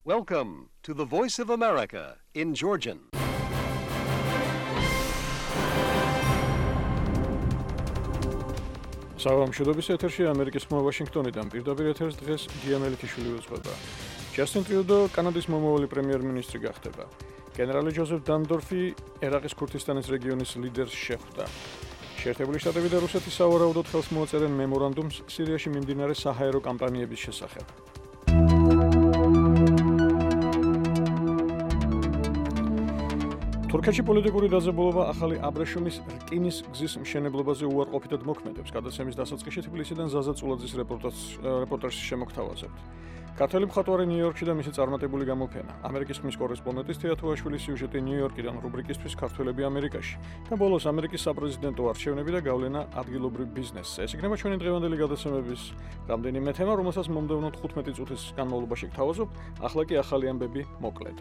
Welcome to the Voice of America in Georgian. Საღამოშობების ეთერში ამერიკის ხმა ვაშინგტონიდან პირდაპირ ეთერს დღეს გია მელიქიშვილი უძღვება. ჯასტინ ტრიუდო კანადის მომავალი პრემიერ-მინისტრი გახდება. გენერალი ჯოზეფ დანდორფი ერაყის ქურთისტანის რეგიონის ლიდერს შეხვდა. შეერთებული შტატები და რუსეთი სავარაუდოდ ხელს მოაწერენ მემორანდუმს სირიაში მიმდინარე საჰაერო კამპანიების შესახებ. თურქეთში პოლიტიკური დაძაბულობა ახალი აბრეშუმის რკინის გზის მშენებლობაზე უარყოფითად მოქმედებს. გადაცემის დასაწყისში თბილისიდან ზაზა წულაძის რეპორტაჟს შემოგთავაზებთ. ქართველი მხატვარი ნიუ-იორკში და მისი წარმატებული გამოფენა. ამერიკის ხმის კორესპონდენტის თეათოაშვილის სიუჟეტი ნიუ-იორკიდან რუბრიკისთვის ქართველები ამერიკაში და ბოლოს ამერიკის საპრეზიდენტო არჩევნები და გავლენა ადგილობრივ ბიზნესზე. ეს იქნება ჩვენი დღევანდელი გადაცემების რამდენიმე თემა, რომელსაც მომდევნო 15 წუთის განმავლობაში გთავაზობ. ახლა კი ახალი ამბები მოკლედ.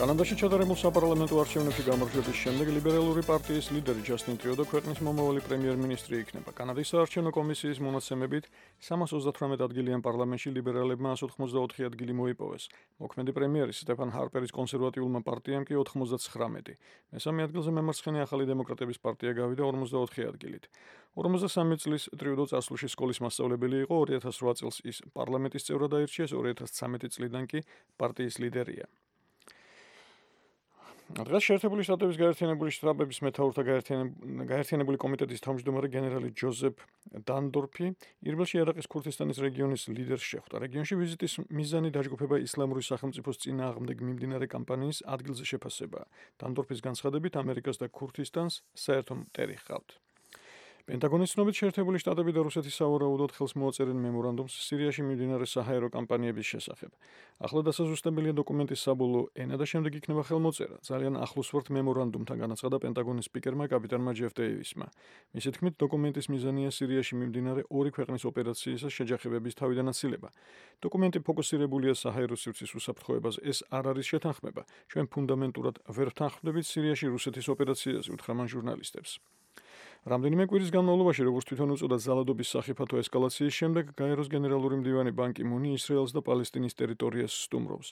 კანადაში ჩატარებულ საპარლამენტო არჩევნებში გამარჯვების შემდეგ ლიბერალური პარტიის ლიდერი ჯასტინ ტრიუდო ქვეყნის მომავალი პრემიერ-მინისტრი იქნება. კანადის საარჩევნო კომისიის მონაცემებით 338 ადგილიან პარლამენტში ლიბერალებმა 184 ადგილი მოიპოვეს. მოქმედი პრემიერის სტეფან ჰარპერის კონსერვატიულმა პარტიამ კი 99. მესამე ადგილზე მემარცხენე ახალი დემოკრატების პარტია გავიდა 44 ადგილით. 53 წლის ტრიუდო წარსულში სკოლის მასწავლებელი იყო, 2008 წელს ის პარლამენტის წევრად აირჩიეს, 2013 წლიდან კი პარტიის ლიდერია. დღეს შეერთებული შტატების გაერთიანებული შტატების მეთაურთა გაერთიანებული კომიტეტის თავმჯდომარე გენერალი ჯოზეფ დანდორფი ირბელში ერაყის ქურთისტანის რეგიონის ლიდერს შეხვდა. რეგიონში ვიზიტის მიზანი დაჯგუფება ისლამური სახელმწიფოს წინააღმდეგ მიმდინარე კამპანიის ადგილზე შეფასებაა. დანდორფის განცხადებით, ამერიკას და ქურთისტანს საერთო მტერი ჰყავთ. პენტაგონის ცნობით შეერთებული შტატები და რუსეთი სავარაუდოდ ხელს მოაწერენ მემორანდუმს სირიაში მიმდინარე საჰაერო კამპანიების შესახებ. ახლა დასაზუსტებელია დოკუმენტის საბოლოო ენა და შემდეგ იქნება ხელმოწერა. ძალიან ახლოს ვართ მემორანდუმთან, განაცხადა პენტაგონის სპიკერმა კაპიტანმა ჯეფ დეივისმა. მისი თქმით, დოკუმენტის მიზანია სირიაში მიმდინარე ორი ქვეყნის ოპერაციისა შეჯახებების თავიდან აცილება. დოკუმენტი ფოკუსირებულია საჰაერო სივრცის უსაფრთხოებაზე. ეს არ არის შეთანხმება. ჩვენ ფუნდამენტურად ვერ ვთანხმდებით სირიაში რუსეთის ოპერაციაზე, უთხრა მან ჟურნალისტებს. რამდენიმე კვირის განმავლობაში, როგორც თვითონ უწოდა ძალადობის სახიფათო ესკალაციის შემდეგ, გაეროს გენერალური მდივანი ბან კი მუნი ისრაელს და პალესტინის ტერიტორიას სტუმრობს.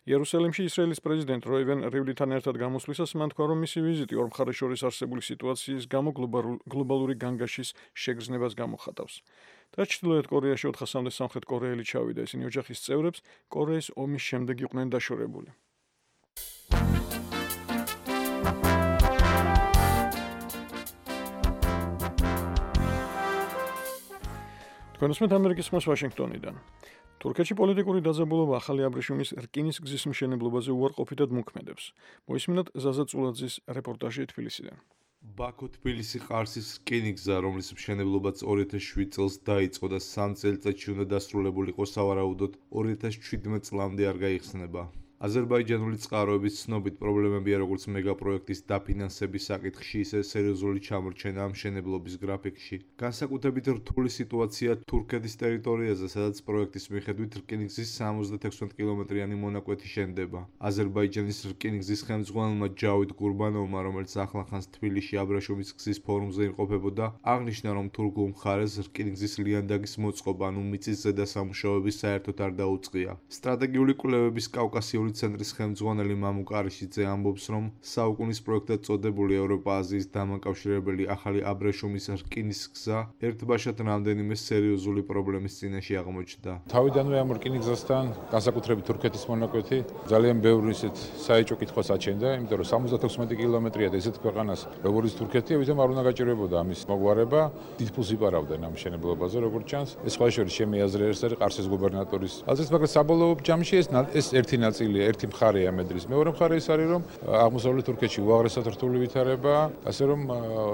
იერუსალიმში ისრაელის პრეზიდენტ როივენ რივლითან ერთად გამოსვლისას მან თქვა, რომ მისი ვიზიტი ორ მხარეს შორის არსებული სიტუაციის გამო გლობალური განგაშის შეგრძნებას გამოხატავს. და ჩრდილოეთ კორეაში 400-მდე სამხრეთ კორეელი ჩავიდა. ისინი ოჯახის წევრებს კორეის ომის შემდეგ იყვნენ დაშორებული. თქვენსმეთ ამერიკის ხმას ვაშინგტონიდან. თურქეთში პოლიტიკური დაძაბულობა ახალი აბრეშუმის რკინის გზის მშენებლობაზე უარყოფითად მოქმედებს. მოისმინოთ ზაზა წულაძის რეპორტაჟი თბილისიდან. ბაქო-თბილისი-ყარსის რკინიგზა, რომლის მშენებლობაც 2007 წელს დაიწყო და 3 წელიწადში უნდა დასრულებულიყო, სავარაუდოდ 2017 წლამდე არ გაიხსნება. აზერბაიჯანული წყაროების ცნობით პრობლემებია როგორც მეგაპროექტის დაფინანსების საკითხში, ისე სერიოზული ჩამორჩენა მშენებლობის გრაფიკში. განსაკუთრებით რთული სიტუაცია თურქეთის ტერიტორიაზე, სადაც პროექტის მიხედვით რკინიგზის 76 კილომეტრიანი მონაკვეთი შენდება. აზერბაიჯანის რკინიგზის ხელმძღვანელმა ჯავიდ გურბანოვმა, რომელიც ახლახანს თბილისში აბრეშუმის გზის ფორუმზე იმყოფებოდა, აღნიშნა, რომ თურქულ მხარეს რკინიგზის ლიანდაგის მოწყობა, ანუ მიწის ზედა სამუშაოები საერთოდ არ დაუწყია. სტრატეგიული კვლევების კავკასიური ცენტრის ხელმძღვანელი მამუ კარიშიძე ამბობს, რომ საუკუნის პროექტად წოდებული ევროპა-აზიის დამაკავშირებელი ახალი აბრეშუმის რკინის გზა ერთბაშად რამდენიმე სერიოზული პრობლემის წინაშე აღმოჩნდა. თავიდანვე ამ რკინიგზასთან, განსაკუთრებით თურქეთის მონაკვეთი, ძალიან ბევრი ისეთ საეჭვო კითხვას აჩენდა, იმიტომ რომ 76 კილომეტრია და ესეთ ქვეყანას, როგორც თურქეთი, ამიტომ არ უნდა გაჭირვებოდა ამის მოგვარება, დიდ ფულს იპარავდნენ ამ მშენებლობაზე, როგორც ჩანს. ეს სხვა შორის ჩემი აზრით არის ყარსის გუბერნატორის აზრით, მაგრამ საბოლოო ჯამში ეს ერთი ნაწილი ერთი მხარეა მედრის. მეორე მხარე ის არის, რომ აღმოსავლეთ თურქეთში უაღრესად რთული ვითარებაა, ასე რომ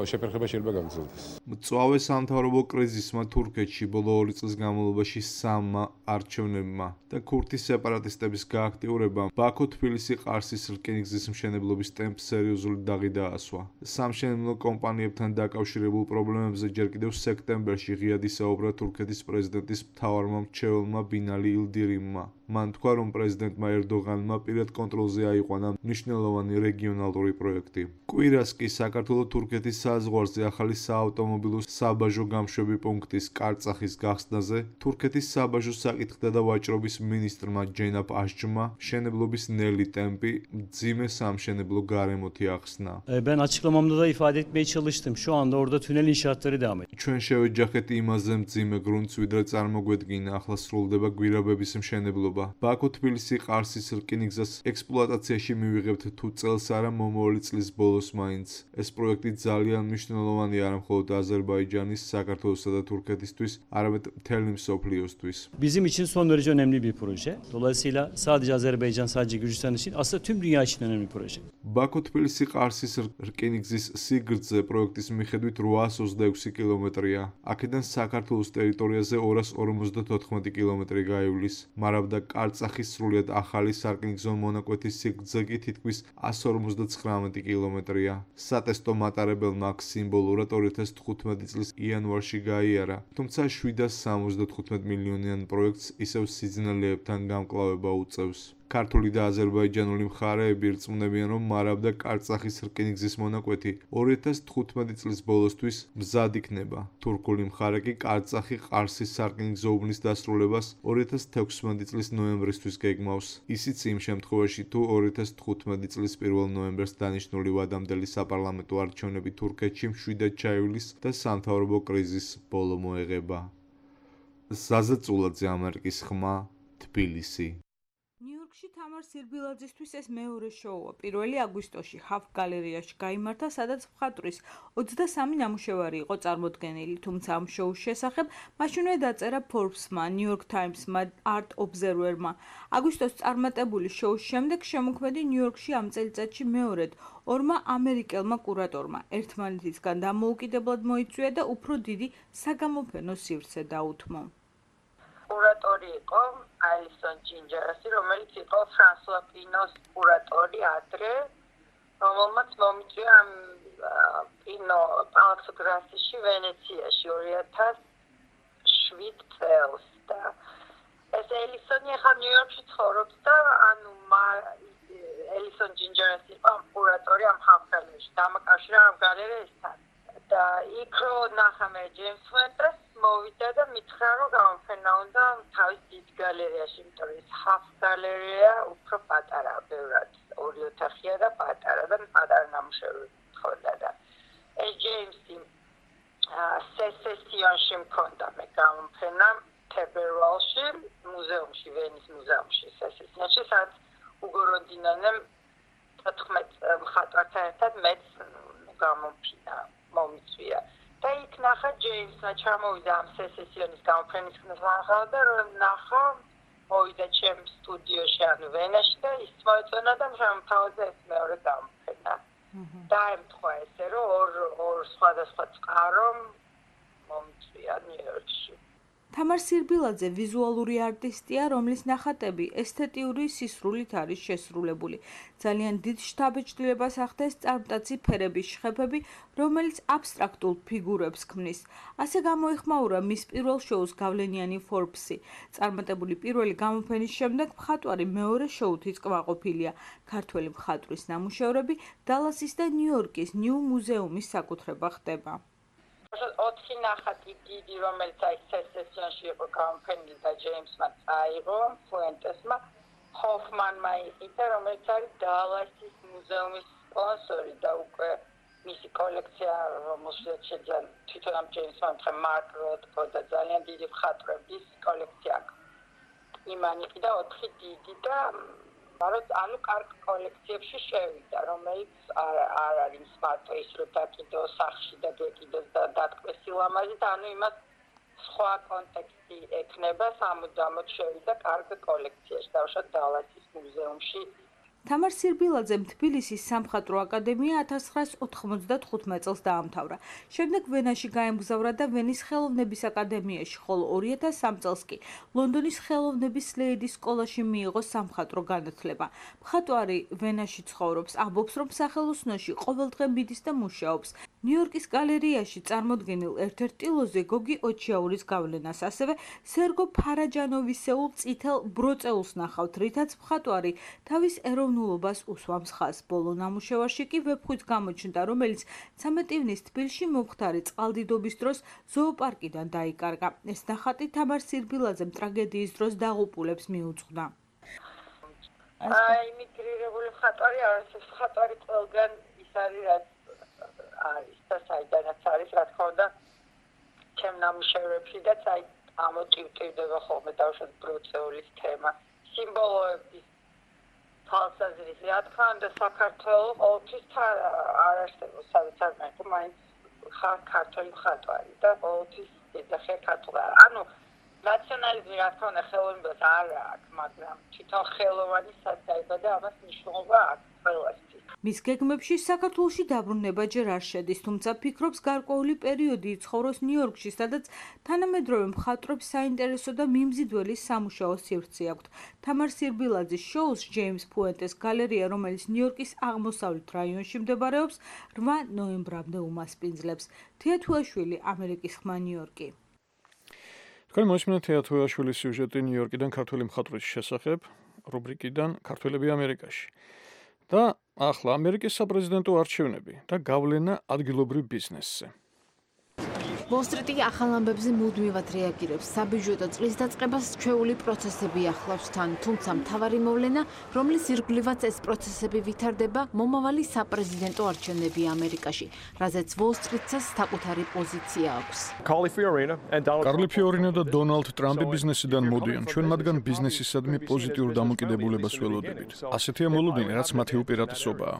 შეფერხება შეიძლება გაგრძელდეს. მწვავე სამთავრობო კრიზისმა თურქეთში ბოლო 2 წლის განმავლობაში 3 არჩევნებმა და ქურთის სეპარატისტების გააქტიურებამ ბაქო-თბილისი-ყარსის რკინიგზის მშენებლობის ტემპს სერიოზული დაღი დაასვა. სამშენებლო კომპანიებთან დაკავშირებულ პრობლემებზე ჯერ კიდევ სექტემბერში ღიად ისაუბრა თურქეთის პრეზიდენტის მთავარმა მრჩეველმა ბინალი ილდირიმმა. მან თქვა, რომ პრეზიდენტმა ერდოღანმა პირად კონტროლზე აიყვანა მნიშვნელოვანი რეგიონალური პროექტი. კვირას კი საქართველოს თურქეთის საზღვარზე ახალი საავტომობილო საბაჟო გამშვები პუნქტის კარწახის გახსნაზე თურქეთის საბაჟო საკითხთა და ვაჭრობის მინისტრმა ჯენაბ აშჯმა მშენებლობის ნელი ტემპი მძიმე სამშენებლო გარემოთი ახსნა. Ben açıklamamda da ifade etmeye çalıştım. Şu anda orada tünel inşaatları devam ediyor. ჩვენ შევეჯახეთ იმაზე მძიმე გრუნტს, ვიდრე წარმოგვედგინა, ახლა სრულდება გვირაბების მშენებლობა. ბაქო-თბილისი-ყარსის რკინიგზას ექსპლუატაციაში მივიღებთ თუ წელს არა მომავალი წლის ბოლოს მაინც. ეს პროექტი ძალიან მნიშვნელოვანი არა მხოლოდ აზერბაიჯანის, საქართველოსა და თურქეთისთვის, არამედ მთელი მსოფლიოსთვის. Bizim için son derece önemli bir proje. Dolayısıyla sadece Azerbaycan, sadece Gürcistan için aslında tüm dünya için önemli bir proje. ბაქო-თბილისი-ყარსის რკინიგზის სიგრძე პროექტის მიხედვით 826 კილომეტრია. აქედან საქართველოს ტერიტორიაზე 254 კილომეტრი გაივლის. მარავდა კარწახის სრულიად ახალი სარკინიგზო მონაკვეთის სიგრძე კი თითქმის 159 კილომეტრია. სატესტო მატარებელმა აქ სიმბოლურად 2015 წლის იანვარში გაიარა, თუმცა 775 მილიონიან პროექტს ისევ სიძნელებთან გამკლავება უწევს. ქართული და აზერბაიჯანული მხარეები რწმუნებიან, რომ მარავდა კარწახის რკინიგზის მონაკვეთი 2015 წლის ბოლოსთვის მზად იქნება. თურქული მხარე კი კარწახი-ყარსის სარკინიგზო უბნის დასრულებას 2016 წლის ნოემბრისთვის გეგმავს. ისიც იმ შემთხვევაში, თუ 2015 წლის 1 ნოემბერს დანიშნული ვადამდელი საპარლამენტო არჩევნები თურქეთში მშვიდად ჩაივლის და სამთავრობო კრიზის ბოლო მოეღება. ზაზა წულაძე, ამერიკის ხმა, თბილისი. ნიუ-იორკში თამარ სირბილაძისთვის ეს მეორე შოუა. 1 აგვისტოში ჰაფ გალერეაში გაიმართა, სადაც მხატვრის 23 ნამუშევარი იყო წარმოდგენილი, თუმცა ამ შოუს შესახებ მაშინვე დაწერა Forbes-მა, New York Times-მა, Art Observer-მა. აგვისტოს წარმატებული შოუს შემდეგ შემოქმედი ნიუ-იორკში ამ წელიწადში მეორედ ორმა ამერიკელმა კურატორმა ერთმანეთისგან დამოუკიდებლად მოიწვია და უფრო დიდი საგამოფენო სივრცე დაუთმო. კურატორი იყო ალისონ ჯინჯერასი, რომელიც იყო ფრანსუა პინოს კურატორი ადრე, რომელმაც მომიწვია პინო პალაცო გრასიში ვენეციაში 2007 წელს და ეს ელისონი ახლა ნიუ-იორკში ცხოვრობს და ანუ ელისონ ჯინჯერასი იყო კურატორი ამ ჰაფ-გალერეაში, დამაკავშირა ამ გალერეასთან და იქ რო ნახა მე ჯეიმს ვენტრეს მოვიდა და მითხრა, რომ გამოფენა უნდა თავის დიდ გალერეაში, იმიტომ რომ ეს ჰაფ გალერეა უფრო პატარაა, ბევრად, 2 ოთახია და პატარა და პატარა ნამუშევრები მქონდა და ეს ჯეიმსი სესესიონში მქონდა მე გამოფენა თებერვალში, მუზეუმში, ვენის მუზეუმში, სესესიონში, სადაც უგო როდინანემ 14 მხატვართან ერთად მეც გამოფინა მომიწვია. და იქ ნახა ჯეიმსმა ჩამოვიდა ამ სესესიონის გამოფენის ხსნა და რომ ნახა მოვიდა ჩემ სტუდიოში ანუ ვენაში და ის მოეწონა და შემთავაზა ეს მეორე გამოფენა. დაემთხვა ესე რომ ორ სხვადასხვა წყარო მომიწვია ნიუ-იორკში. თამარ სირბილაძე ვიზუალური არტისტია, რომლის ნახატები ესთეტიური სისრულით არის შესრულებული. ძალიან დიდ შთაბეჭდილებას ახდენს წარმტაცი ფერების შხეფები, რომელიც აბსტრაქტულ ფიგურებს ქმნის. ასე გამოიხმაურა მის პირველ შოუს გავლენიანი Forbes-ი. წარმატებული პირველი გამოფენის შემდეგ მხატვარი მეორე შოუთიც კმაყოფილია. ქართველი მხატვრის ნამუშევრები დალასის და ნიუ-იორკის ნიუ მუზეუმის საკუთრება ხდება. 4 ნახატი დიდი, რომელიც აი სესესიონში იყო გამოფენილი და ჯეიმსმა წაიღო, ფუენტესმა, ჰოფმანმა იყიდა, რომელიც არის დალასის მუზეუმის სპონსორი და უკვე მისი კოლექცია, რომელშიც შეძან თვითონ ამ ჯეიმსმა მარკ როთკო და ძალიან დიდი მხატვრების კოლექცია აქვს. იმან იყიდა 4 დიდი და ანუ კარგ კოლექციებში შევიდა, რომელიც არ არის მარტო ის რომ დაკიდო სახში და დაკიდოს და დატკბეს სილამაზით, ანუ იმას სხვა კონტექსტი ექნება, სამუდამოდ შევიდა კარგ კოლექციაში, დავუშვათ დალასის მუზეუმში. თამარ სირბილაძემ თბილისის სამხატვრო აკადემია 1995 წელს დაამთავრა. შემდეგ ვენაში გაემგზავრა და ვენის ხელოვნების აკადემიაში, ხოლო 2003 წელს კი ლონდონის ხელოვნების სლეიდის სკოლაში მიიღო სამხატვრო განათლება. მხატვარი ვენაში ცხოვრობს, ამბობს, რომ სახელოსნოში ყოველდღე მიდის და მუშაობს. ნიუ-იორკის გალერეაში წარმოდგენილ ერთ-ერთ ტილოზე გოგი ოჩიაურის გავლენას, ასევე სერგო ფარაჯანოვისეულ წითელ ბროწეულს ნახავთ, რითაც მხატვარი თავის ეროვნულობას უსვამს ხაზს. ბოლო ნამუშევარში კი ვეფხვიც გამოჩნდა, რომელიც 13 ივნის თბილისში მომხდარი წყალდიდობის დროს ზოოპარკიდან დაიკარგა. ეს ნახატი თამარ სირბილაძემ ტრაგედიის დროს დაღუპულებს მიუძღვნა. იმიგრირებული მხატვარი არის, ეს მხატვარი ყველგან ის არის, რაც არის და საიდანაც არის, რა თქმა უნდა, ჩემ ნამუშევრებში და ამოტივტივდება ხოლმე დავუშვათ ბროწეულის თემა, სიმბოლოების თვალსაზრისით. რა თქმა უნდა, საქართველო ყოველთვის არ არსებობს, სადაც არ მაინც მაინც ხარ ქართული მხატვარი და ყოველთვის ეძახიან ქართულად. ანუ ნაციონალიზმი რა თქმა უნდა ხელოვნებას არ აქვს, მაგრამ თვითონ ხელოვანი სად დაიბადა, ამას მნიშვნელობა აქვს ყველასთვის. მის გეგმებში საქართველოში დაბრუნება ჯერ არ შედის, თუმცა ფიქრობს გარკვეული პერიოდი იცხოვროს ნიუ-იორკში, სადაც თანამედროვე მხატვრებს საინტერესო და მიმზიდველი სამუშაო სივრცე აქვთ. თამარ სირბილაძის შოუს ჯეიმს ფუენტეს გალერეა, რომელიც ნიუ-იორკის აღმოსავლეთ რაიონში მდებარეობს, 8 ნოემბრამდე უმასპინძლებს. თეათუაშვილი, ამერიკის ხმა, ნიუ-იორკი. თქვენ მოისმინეთ თეათუაშვილის სიუჟეტი ნიუ-იორკიდან ქართველი მხატვრის შესახებ, რუბრიკიდან ქართველები ამერიკაში. და ახლა ამერიკის საპრეზიდენტო არჩევნები და გავლენა ადგილობრივ ბიზნესზე. ვოლ-სტრიტი ახალ ამბებზე მუდმივად რეაგირებს. საბიუჯეტო წლის დაწყებას ჩვეული პროცესები ახლავს თან, თუმცა მთავარი მოვლენა, რომლის ირგვლივაც ეს პროცესები ვითარდება, მომავალი საპრეზიდენტო არჩევნები ამერიკაში, რაზეც ვოლ-სტრიტსაც საკუთარი პოზიცია აქვს. კარლი ფიორინო და დონალდ ტრამპი ბიზნესიდან მოდიან. ჩვენ მათგან ბიზნესისადმი პოზიტიურ დამოკიდებულებას ველოდებით. ასეთია მოლოდინი, რაც მათი უპირატესობაა.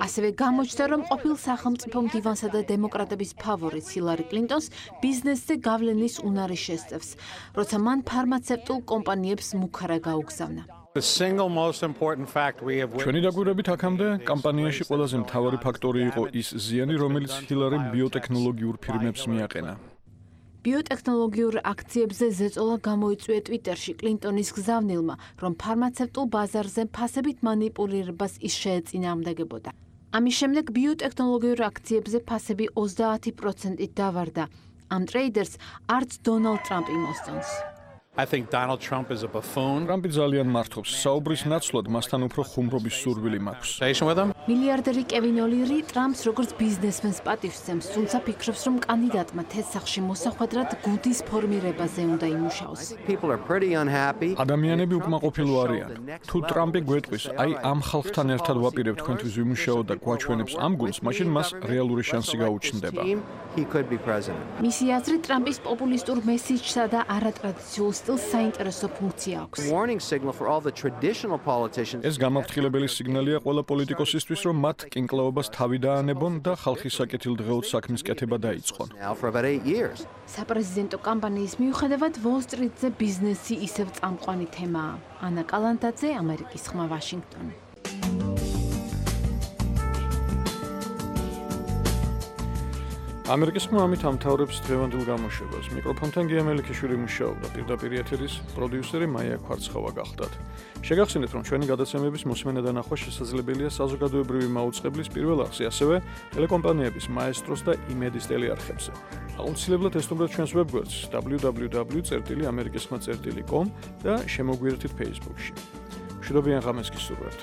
ასევე გამოჩნდა, რომ ყოფილ სახელმწიფო მდივანსა და დემოკრატების ფავორიტ ჰილარი კლინტონს ბიზნესზე გავლენის უნარი შესწევს, როცა მან ფარმაცევტულ კომპანიებს მუქარა გაუგზავნა. ჩვენი დაკვირვებით აქამდე კამპანიაში ყველაზე მთავარი ფაქტორი იყო ის ზიანი, რომელიც ჰილარიმ ბიოტექნოლოგიურ ფირმებს მიაყენა. ბიოტექნოლოგიურ აქციებზე ზეწოლა გამოიწვია ტვიტერში კლინტონის გზავნილმა, რომ ფარმაცევტულ ბაზარზე ფასებით მანიპულირებას ის შეეწინააღმდეგებოდა. ამის შემდეგ ბიოტექნოლოგიურ აქციებზე ფასები 30%-ით დავარდა. ამ ტრეიდერს არც დონალდ ტრამპი მოსწონს. ტრამპი ძალიან მართობს. საუბრის ნაცვლად მასთან უფრო ხუმრობის სურვილი მაქვს. მილიარდერი კევინ ოლირი ტრამპს როგორც ბიზნესმენს პატივსცემს, თუმცა ფიქრობს, რომ კანდიდატმა თესახში მოსახვედრად გუდის ფორმირებაზე უნდა იმუშაოს. ადამიანები უკმაყოფილო არიან. თუ ტრამპი გვეტყვის, აი ამ ხალხთან ერთად ვაპირებ თქვენთვის ვიმუშაოთ და გვაჩვენებს ამ გუნდს, მაშინ მას რეალური შანსი გაუჩნდება. მისი აზრით, ტრამპის პოპულისტურ მესიჯსა და არატრადიციულ სტილს საინტერესო ფუნქცია აქვს. ეს გამაფრთხილებელი სიგნალია ყველა პოლიტიკოსისთვის, რომ მათ კინკლაობას თავი დაანებონ და ხალხის საკეთილდღეოდ საქმის კეთება დაიწყონ. საპრეზიდენტო კამპანიის მიუხედავად, ვოლ-სტრიტზე ბიზნესი ისევ წამყვანი თემაა. ანა კალანტაძე, ამერიკის ხმა, ვაშინგტონი. ამერიკის ხმა ამით ამთავრებს დღევანდელ გამოშვებას. მიკროფონთან გია მელიქიშვილი მუშაობდა, პირდაპირ ეთერის პროდიუსერი მაია ქვარცხავა გახლდათ. შეგახსენეთ, რომ ჩვენი გადაცემების მოსმენა და ნახვა შესაძლებელია საზოგადოებრივი მაუწყებლის პირველ არხზე, ასევე ტელეკომპანიების მაესტროს და იმედის ტელეარხებზე. აუცილებლად ესტუმრეთ ჩვენს ვებგვერდს www.amerikiskhma.com და შემოგვიერთდით Facebook-ში. მშვიდობიან ღამეს გისურვებთ.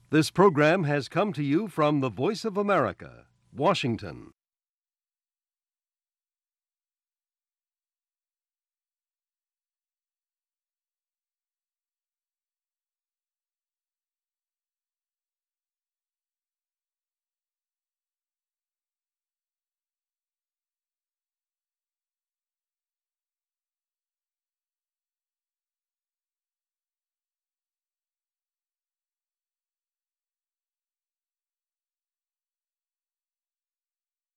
This program has come to you from the Voice of America, Washington.